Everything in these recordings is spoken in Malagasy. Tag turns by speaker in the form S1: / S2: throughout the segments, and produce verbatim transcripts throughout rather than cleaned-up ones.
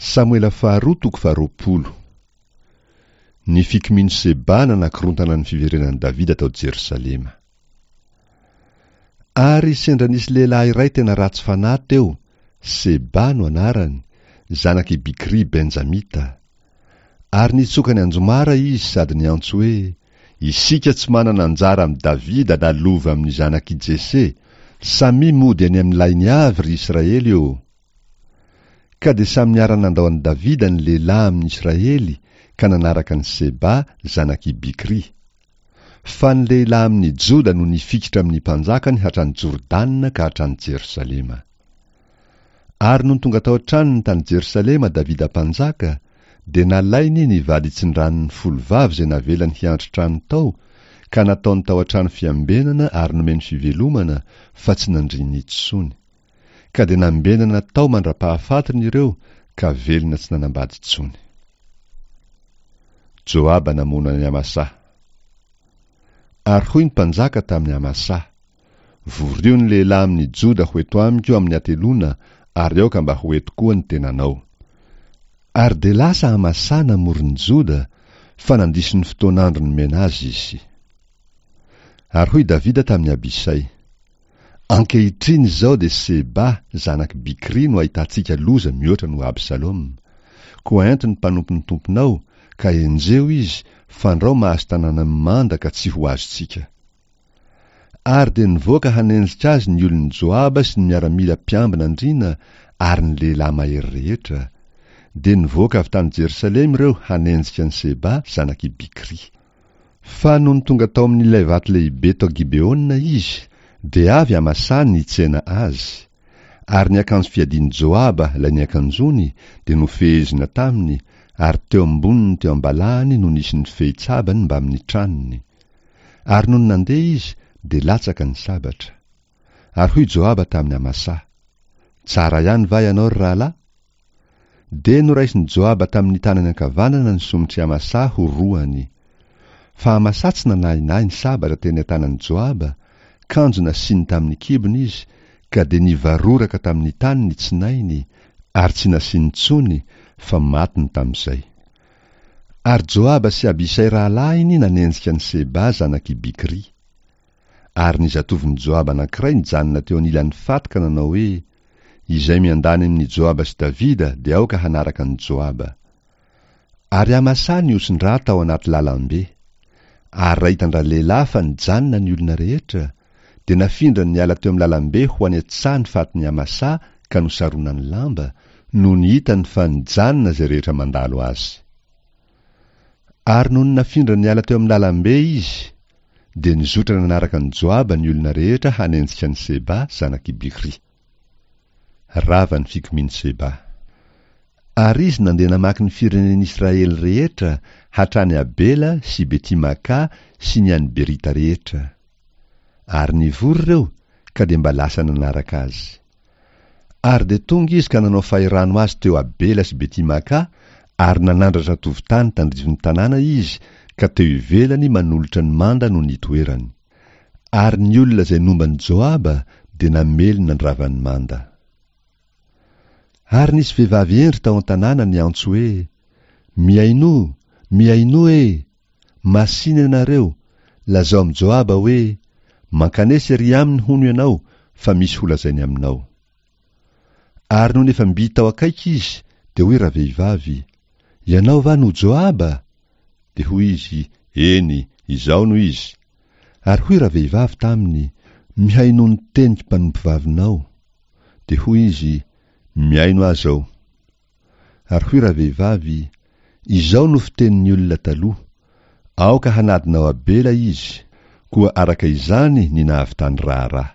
S1: Samoela faharoa toko faharoapolo. Ny fikomian'i Seba nanakorontana ny fiverenan'i Davida tao Jerosalema. Ary sendra nisy lehilahy iray tena ratsy fanahy teo, Seba no anarany, zanak'i Bikry Benjamita. Ary nitsoka ny anjomara izy sady niantso hoe, Isika tsy manana anjara amin'i Davida na lova amin'ny zanak'i Jese, samia mody any amin'ny lainy avy, ry Israely ô! Ka dia samy niara-nandao an'i Davida ny lehilahy amin'ny Israely ka nanaraka an'i Seba zanak'i Bikry. Fa ny lehilahy amin'ny Joda no nifikitra amin'ny mpanjakany hatrany Jordana ka hatrany Jerosalema. Ary nony tonga tao an-tranony tany Jerosalema Davida mpanjaka, dia nalainy ny vaditsindranony folo vavy izay navelany hiandry trano tao, ka nataony tao an-trano fiambenana ary nomeny fivelomana, fa tsy nandriany intsony. Ka dia nambenana tao mandra-pahafatiny ireo, ka velona tsy nanambady intsony. Joaba namono an'i Amasà. Ary hoy ny mpanjaka tamin'i Amasà, Vorio ny lehilahy amin'ny Joda ho eto amiko amin'ny hateloana, ary aoka mba ho eto koa ny tenanao. Ary dia lasa Amasà namory ny Joda, fa nandiso ny fotoan'andro nomena azy izy. Ary hoy Davida tamin'i Abisay, Ankehitriny izao dia Seba, zanak'i Bikry no ahitantsika loza mihoatra noho Absaloma. Koa ento ny mpanompon'ny tomponao, ka enjeho izy, fandrao mahazo tanàna mimanda ka tsy ho azontsika. Ary dia nivoaka hanenjika azy ny olon'i Joaba sy ny miaramila mpiambina andriana ary ny lehilahy mahery rehetra. Dia nivoaka avy tany Jerosalema ireo hanenjika an'i Seba, zanak'i Bikry. Fa nony tonga tao amin'ilay vato lehibe tao Gibeona izy, dia avy Amasà nitsena azy. Ary ny akanjo fiadian'i Joaba, ilay niakanjoany, dia nofehezina taminy, ary teo amboniny teo am-balahany no nisy ny fehi-tsabany mbamin'ny tranony. Ary nony nandeha izy, dia latsaka ny sabatra. Ary hoy Joaba tamin'i Amasà, Tsara ihany va ianao, ry rahalahy? Dia noraisin'i Joaba tamin'ny tanany ankavanana ny somotr'i Amasà ho roany. Fa Amasà tsy nanahinahy ny sabatra teny an-tanan'i Joaba, kanjo nasiany tamin'ny kibony izy, ka dia nivaroraka tamin'ny tany ny tsinainy, ary tsy nasiany intsony, fa matiny tamin'izay. Ary Joaba sy Abisay rahalahiny nanenjika an'i Seba zanak'i Bikry. Ary ny zatovon'i Joaba anankiray nijanona teo anilan'ny faty ka nanao hoe, Izay miandany amin'i Joaba sy Davida dia aoka hanaraka an'i Joaba. Ary Amasà nihosin-drà tao anaty lalam-be. Ary raha hitan-dralehilahy fa nijanona ny olona rehetra, dia nafindrany niala teo amin'ny lalam-be ho any an-tsaha ny fatin'i Amasà ka nosaronany lamba, nony hitany fa nijanona izay rehetra mandalo azy. Ary nony nafindrany niala teo amin'ny lalam-be izy, dia nizotra nanaraka an'i Joaba ny olona rehetra hanenjika an'i Seba zanak'i Bikry. Rava ny fikomian'i Seba. Ary izy nandeha namaky ny firenen'Israely rehetra, hatrany Abela sy Beti-Makà sy ny any Berita rehetra. Ary nivory ireo, ka dia mba lasa nanaraka azy. Ary dia tonga izy ka nanao fahirano azy teo Abela sy Beti-Makà, ary nanandratra tovon-tany tandrifin'ny tanàna izy, ka teo ivelany manolotra ny manda no nitoerany. Ary ny olona izay nomba an'i Joaba dia namely nandrava ny manda. Ary nisy vehivavy hendry tao an-tanàna niantso hoe, Mihainoa, mihainoa e! Masìna ianareo, lazao amin'i Joaba hoe, Mankanesa ery aminy hono ianao, fa misy holazainy aminao. Ary nony efa mby tao akaiky izy, dia hoy ravehivavy, Ianao va no Joaba? Dia hoy izy, Eny, izaho no izy. Ary hoy ravehivavy taminy, Mihainoa ny teniko mpanompovavinao. Dia hoy izy, Mihaino aho izao. Ary hoy ravehivavy, Izao no fitenin'ny olona taloha, Aoka hanadina ao Abela izy, koa araka izany ny nahavitany raharaha.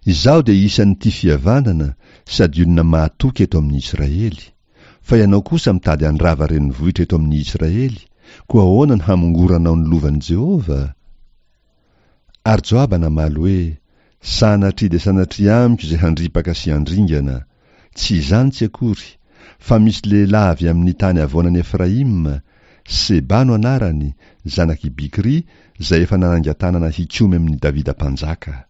S1: Izaho dia isan'ny tia fihavanana sady olona mahatoky eto amin'ny Israely, fa ianao kosa mitady handrava renivohitra eto amin'ny Israely, koa ahoana no hamongoranao ny lovan'i Jehovah? Ary Joaba namaly hoe, Sanatria dia sanatria amiko izay handripaka sy handringana! Tsy izany tsy akory, fa misy lehilahy avy amin'ny tany havoanan'i Efraima, Seba no anarany, zanak'i Bikry, izay efa nanangan-tanana hikomy amin'i Davida mpanjaka.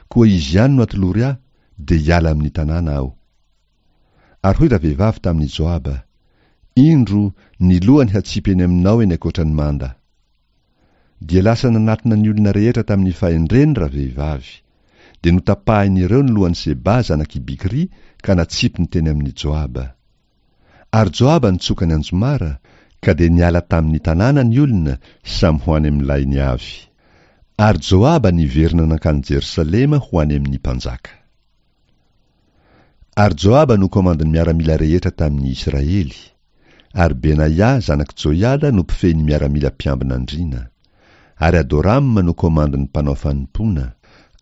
S1: Koa izy ihany no atolory ahy, dia hiala amin'ny tanàna aho. Ary hoy ravehivavy tamin'i Joaba, Indro, ny lohany hatsipy eny aminao eny ankoatra ny manda. Dia lasa nanatona ny olona rehetra tamin'ny fahendreny ravehivavy. Dia notapahin'ireo ny lohan'i Seba zanak'i Bikry ka natsipiny teny amin'i Joaba. Ary Joaba nitsoka ny anjomara, ka dia niala tamin'ny tanàna ny olona, samy ho any amin'ny lainy avy. Ary Joaba niverina nankany Jerosalema ho any amin'ny mpanjaka. Ary Joaba no komandin'ny miaramila rehetra tamin'ny Israely. Ary Benaia zanak'i Joiada no mpifehy ny miaramila mpiambina andriana. Ary Adorama no komandin'ny mpanao fanompoana.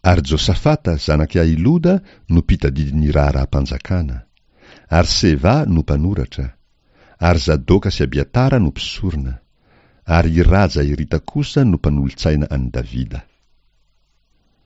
S1: Ary Josafata zanak'i Ahiloda no mpitadidy ny raharaham-panjakana. Ary Seva no mpanoratra. Ary Zadoka sy Abiatara no mpisorona. Ary i Raja Irita kosa no mpanolotsaina an'i Davida.